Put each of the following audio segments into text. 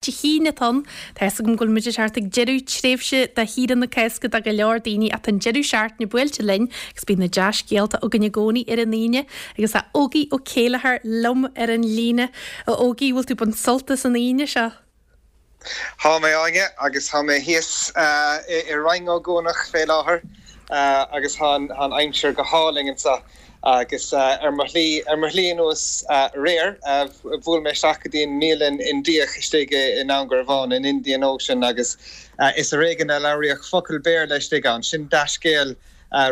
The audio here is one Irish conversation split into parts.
Dé hAoine atá ann. Tá fhios agam go bhfuil muid ag teacht ag deireadh tréimhse de shaoire na Cásca do go leor daoine ach tá an deireadh seachtaine buailte linn agus bíonn na dea-scéalta againn i gcónaí ar an Aoine agus tá Ógie Ó Céilleachair liom ar an líne. A Ógie, bhfuil tú ag baint sult as an Aoine seo? Thá mé, Áine, agus thá mé thíos i Rinn Ó gCuanach fé láthair agus thá an aimsir go hálainn anso. Agus ar mo shlí, ar mo shlí anuas aréir, bhuail mé isteach go dtí an mbialann Indiach istigh i nDún Garbhán, an Indian Ocean, agus is ar éigean a labhraíodh focal Béarla istigh ann. Sin dea-scéal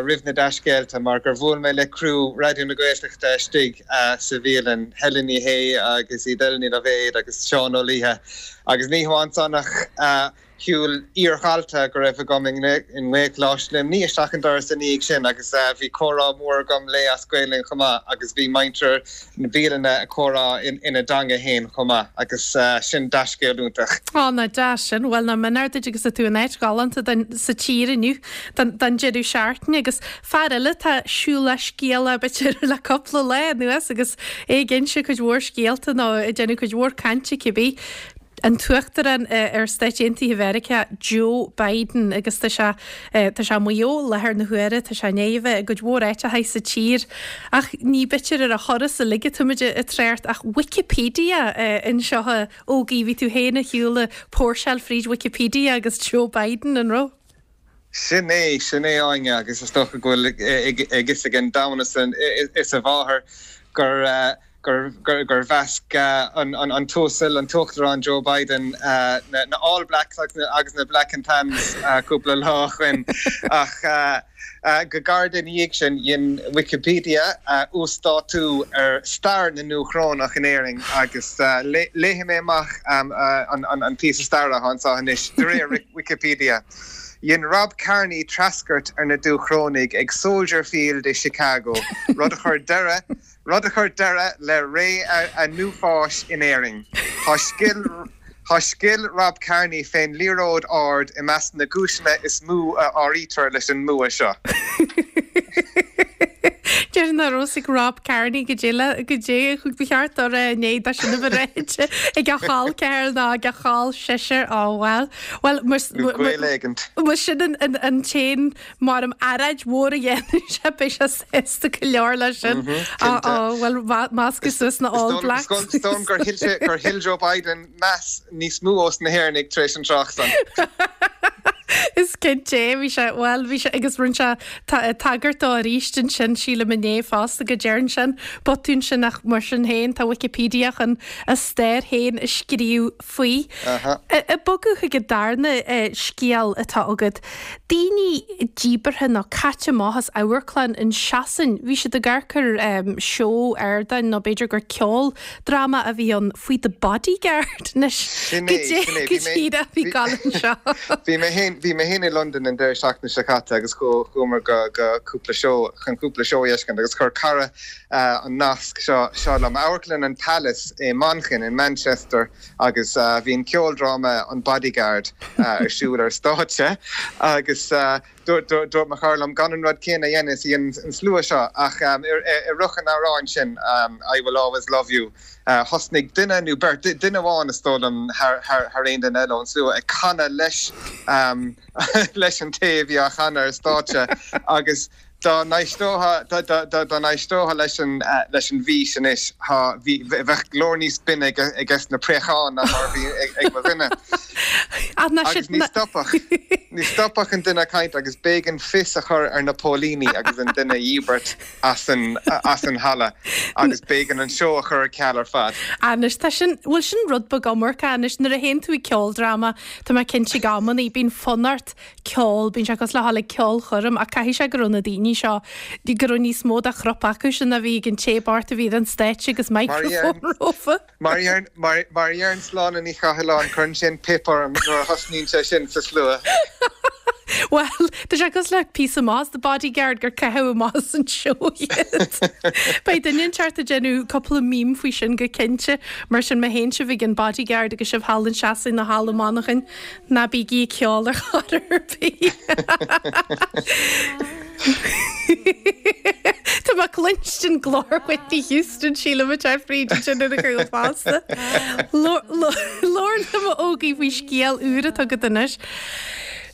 roimh na dea-scéalta, mar gur bhuail mé le criú Raidió na Gaeltachta istigh sa bhialann, Helen Ní Shé agus Edel Ní Loibhéad agus Seán Ó Laoithe, agus ní hamháin san ach, Shiúil iardhalta go raibh agam i nGaelcholáiste Luimnigh isteach an doras ina dhiaidh sin agus bhí comhrá mór agam léi as Gaelainn chomh maith agus bhí muintir na bialainne ag comhrá ina dteanga fhéin chomh maith agus sin dea-scéal iontach. Á, nach deas sin. Bhuel, nach mionúr duit agus tá tú in áit ghalánta sa tír inniu don deireadh seachtaine agus fear eile atá siúlach scéalach b'fhéidir le cúpla lá anuas agus é ag inse cuid mhór scéalta nó ag déanamh cuid mhór cainte cibé. an tUachtarán ar Stáit Aontaithe Mheiriceá, Joe Biden, agus tá sé, tá sé i Maigh Eo i láthair na huaire, tá sé i ndiaidh a bheith i gcuid mhór áiteacha sa tír, ach ní b'fhéidir ar a thuras uilig atáimid ag trácht ach Wikipedia anseo, a Ógie, bhí tú féin ar shiúl ag póirseáil fríd Wikipedia agus Joe Biden, an raibh? Sin é, sin é, Áine, agus is dócha go bhfuil a fhios ag an domhan is a mháthair gur, gur mheasc an tUasal, an tUachtarán Joe Biden na All Blacks agus na Black and Tans cúpla lá ó shoin. Ach go gairid ina dhiaidh sin, dhein Wikipedia uasdátú ar stair na nDúchrónach in Éirinn agus léifidh mé amach an píosa staire atá anseo anois, de réir Wikipedia. Dhein Rob Kearney treascairt ar na Dúchrónaigh ag Soldier Field i Chicago, rud a chuir deireadh rud a chuir deireadh le ré a n-uafáis in Éirinn. Tá scil Tá scil Rob Kearney fén liathróid ard i measc na gcúiseanna is mó a áirítear leis an mbua seo. Déarfainn nach raibh a fhios ag Rob Kearney goidé le goidé ba cheart dó a rá i ndiaidh dó sin a bheith ráite ag a chol ceathar ná ag a chol sisir. Á bhuel. Bhuel, Nó gaol éigint. Más sin an an t-aon Mar earráid mhór a dhéanann sé, beidh sé sásta go leor leis sin. Á, bhuel, meascadh suas na All Blacks. Is dóigh liom gur thuill sé, gur thuill Joe Biden meas níos mó ós na hÉireannaigh tar éis an trácht san. Is cinnte é, bhí sé, bhuel, bhí sé, agus rinne sé tagairt dó arís ansin, sílim inné fosta, go dtearn sé an botún sin ach mar sin féin, tá Wikipedia chun a stair féin a scríobh faoi. Ag bogadh chuig an darna scéal atá agat, daoine díbeartha nó caite amach as amharclann in Sasain, bhí siad ag amharc ar seó ardáin nó b'fhéidir gur ceoldráma a bhí ann faoi The Bodyguard. Anois, goidé go díreach a bhí ag gabháil anseo? Bhí mé féin, bhí mé féin i Londain an deireadh seachtaine seo caite agus chuamar go go cúpla seó, chun cúpla seó a fheiscint agus chuir cara an nasc seo seo liom. Amharclann an Palace i Manchain, in Manchester, agus bhí an ceoldráma An Bodyguard ar siúl ar stáitse agus dúirt mo chara liom gan an rud céanna a dhéanamh is a dhein an slua seo ach i rith an amhráin sin, I Will Always Love You, thosnaigh duine nó beirt, duine amháin is dóigh liom thar aon duine eile ón slua ag canadh leis leis an té a bhí á chanadh ar stáitse agus Dá n-éisteofá, dá n-éisteofá leis an, leis an bhfís anois, thá, bhí, bheadh glór níos binne ag, aiges na préacháin ná mar a bhí ag, ag mo dhuine. Agus ní stopfadh, ní stopfadh an duine ag caint agus b'éigean fios a chur ar na póilíní agus an duine a dhíbirt as an, as an halla agus b'éigean an seó a chur ar ceal ar fad. Anois tá sin, bhuel sin rud beag iomarca anois nuair a théann tú ag ceoldráma, tá mé cinnte ag amannaí, bíonn fonn ort ceol, bíonn sé cosúil le dhul ag ceolchoirm ach caithfidh sé go raibh na daoine seo, go raibh níos mó de chrop acu sin ná bhí ag an té bocht a bhí ar an stáitse agus microphone rompu. Mar a deireann Sláine Ní Chathalláin, cuireann sé an pip orm nuair a thosnaíonn sé sin sa slua. Bhuel, tá sé cosúil le píosa maith as The Bodyguard gur caitheadh amach as an seó iad. Beidh duine inteacht ag déanamh cúpla meme faoi sin go cinnte. Mar sin, má théann sibh ag an Bodyguard agus sibh thall in Sasain nó thall i Manchain, Ná bígí ag ceol ar chor ar bith. Tá mé ag cluinstin glór Whitney Houston, sílim ag teacht fríd ansin ar a chúl fosta. Labhair liom a Ógie faoi scéal úr atá agat anois.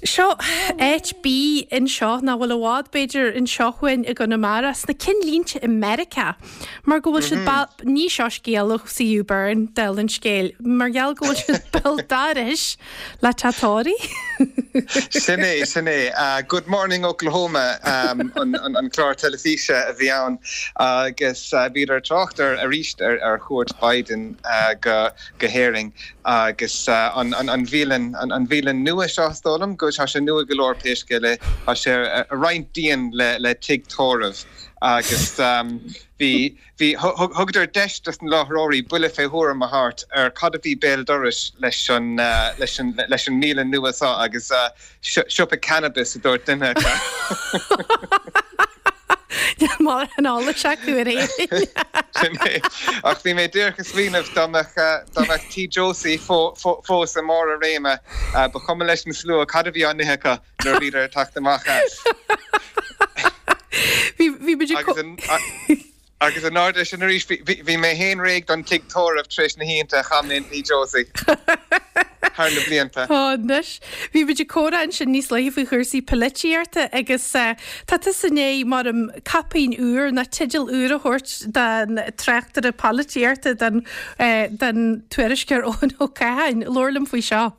Seo áit bídh anseo nach bhfuil i bhfad b'fhéidir anseo chugainn i gConamara, sna cinnlínte i Meiriceá. Mar go bhfuil siad ba, ní seo scéal ó CU Burn, dála an scéil, mar gheall go bhfuil siad béal dorais le teach tórraimh. Sin é, sin é. Good Morning Oklahoma an clár teilifíse a bhí ann agus bhíodar ag trácht ar arís ar chuairt Biden go go hÉirinn agus an bhialann, an bhialann nua seo is dóigh liom go, tá sé nua go leor pé scéal é, tá sé ar roinnt díon le le tigh tórraimh. Agus bhí, bhí, thugadar deis dos na láithreoirí buille fé thuairim a thabhairt ar cad a bhí béal dorais leis an, leis an, leis an mbialann nua seo agus siopa cannabis a dúirt duine acu. Níl mórán eolais acu ar Éirinn. Sin é. Ach bhí mé díreach ag smaoineamh dá mbeadh, dá mbeadh Tigh Josie fós i mbarr a réime, ba chuma leis an slua cad a bhí á n-ithe acu. nuair a bhíodar ag teacht amach as. Bhí bhí muid ag Agus an agus in airde sin arís bhí mé féin réidh don tigh tórraimh tar éis na hoícheanta a chaith mé in Tigh Josie thar na blianta. Ó anois. Bhí muid ag comhrá ansin níos luaithe faoi chúrsaí polaitíochta agus tá tusa i ndiaidh mar caipín úr nó teideal úr a thabhairt don tráchtaire polaitíochta don don tuairisceoir Eoin Ó Catháin. Labhair liom faoi seo.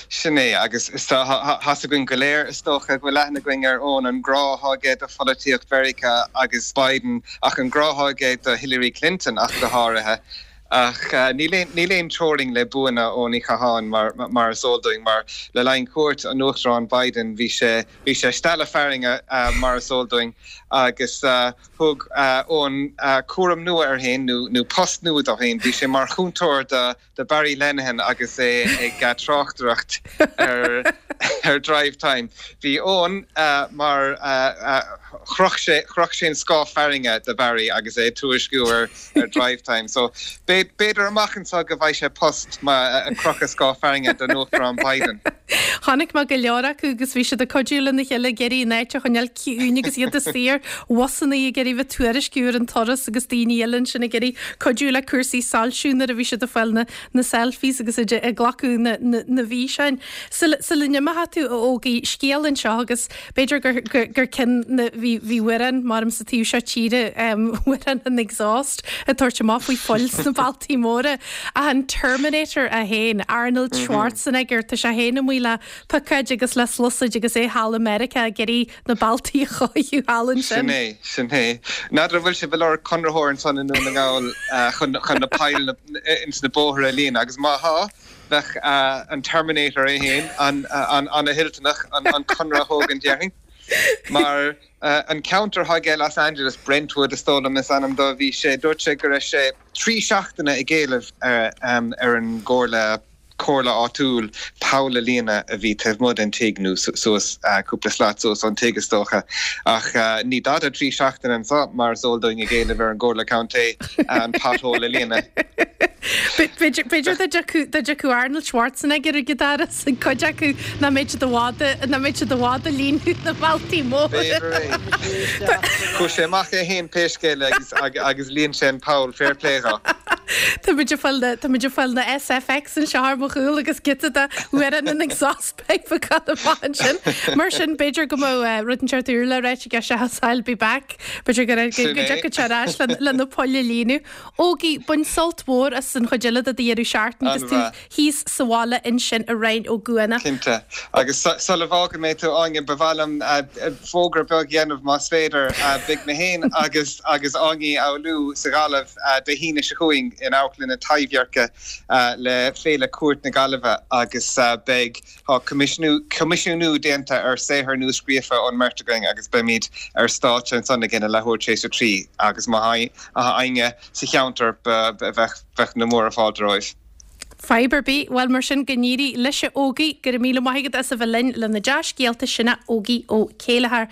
Sin é, agus tá's againn go léir, is dócha, go bhfuil aithne againn ar Eoin, an grá atá aige do pholaitíocht Mheiriceá agus Biden, ach an grá atá aige do Hillary Clinton ach go háirithe. Ach níl aon teorainn le buanna Eoin Uí Chatháin, mar is eol dúinn, mar le linn chuairt an Uachtaráin Biden, bhí sé bhí sé ag stealladh fearthainne, mar is eol dúinn, agus thug Eoin cúram nua air féin, nó post nua dó féin, bhí sé mar chúntóir do do Barry Lenihan agus é ag tráchtaireacht ar Drivetime. Bhí Eoin mar chroch sé chroch sé an scáth fearthainne do Barry agus é ag tuairisciú ar Drivetime. So b'fhéidir amach anseo go bhfaighidh sé post mar ag crochadh scáth fearthainne don Uachtarán Biden. Chonaic mé go leor acu agus bhí siad ag cuidiú lena chéile ag iarraidh an áit a choinneáil ciúin agus iad istigh ar bhusanna ag iarraidh bheith ag tuairisciú ar an turas agus daoine eile ansin ag iarraidh cuidiú le cúrsaí soilsiú nuair a bhí siad ag fáil na na selfies agus ag ag glacadh na na na bhfíseáin. Sula sula n-imeoidh tú a Ógie, scéal anseo agus b'fhéidir gur gur gur cionn na bhí bhí amhrán maram sa taobh seo tíre amhrán an exhaust ag tabhairt amach faoi phoill sna bealtaí móra ach an Terminator é féin, Arnold Schwarzenegger, tá sé féin amuigh le picéid agus le sluasaid agus é thall i Meiriceá ag iarraidh na bealtaí a chóiriú thall ansin. Sin é, sin é. N'fheadar an bhfuil sibh ag lorg conraitheoir ansan i nDún na nGall chun chun na poill ins na bóithre a líonadh agus má thá, bheadh an Terminator é féin an-toilteanach an conradh a thógaint déarfainn. Mar an ceantar atá aige i Los Angeles, Brentwood is dóigh liom is ainm dó, bhí sé, dúirt sé go raibh sé 3 seachtaine ag éileamh ar an gcomhairle, comhairle áitiúil poll a líonadh a bhí taobh amuigh den tigh, nó suas, cúpla slat suas ón tigh is dócha. Ach ní dada 3 seachtaine anso, mar is eol dúinn, ag éileamh ar an gcomhairle contae an pothole a líonadh. B'fhéidir dá dtiocfadh Arnold Schwarzenegger ag an doras ag cuid acu nach mbeadh siad i bhfad, nach mbeadh siad i bhfad ag líonadh na mbealtaí móra. B'fhéidir é. Chuaigh sé amach é féin pé scéal é agus líon sé an poll, fair play dho. Tá muid ag fáil na, tá muid ag fáil na SFX anseo ar mo chúl agus giota de amhrán an exhaust pipe ag dul amach ansin. Mar sin, b'fhéidir go mbeadh rud inteacht úr le ráit aige seachas I'll be back. B'fhéidir go go dtiocfadh sé ar ais le le na poill a líonadh. Ógie, bain sult mhór as an chuid eile de do dheireadh seachtaine agus tú thíos sa bhaile ansin i Rinn Ó gCuanach. Cinnte. Agus sula bhfágfaidh mé tú, Áine, ba mhaith liom fógra beag a dhéanamh, más féidir. Beidh mé féin agus agus Áine Ní Fhoghlú sa Ghaillimh Dé hAoine seo chugainn in Amharclann na Taibhdheirce le Féile Cúirt na Gaillimhe agus beidh Tá coimisiúnú déanta ar saothar nua-scríofa ón mbeirt againn agus beimid ar stáitse ansan ag a leathuair tar éis a 3 agus má tá éinne sa cheantar bheadh na múra fáilte romhaibh. Fadhb ar bith. Bhuel, mar sin, go n-éirí leis a Ógie. Go raibh míle maith agat as a bheith linn le na dea-scéalta sin a Ógie Ó Céilleachair.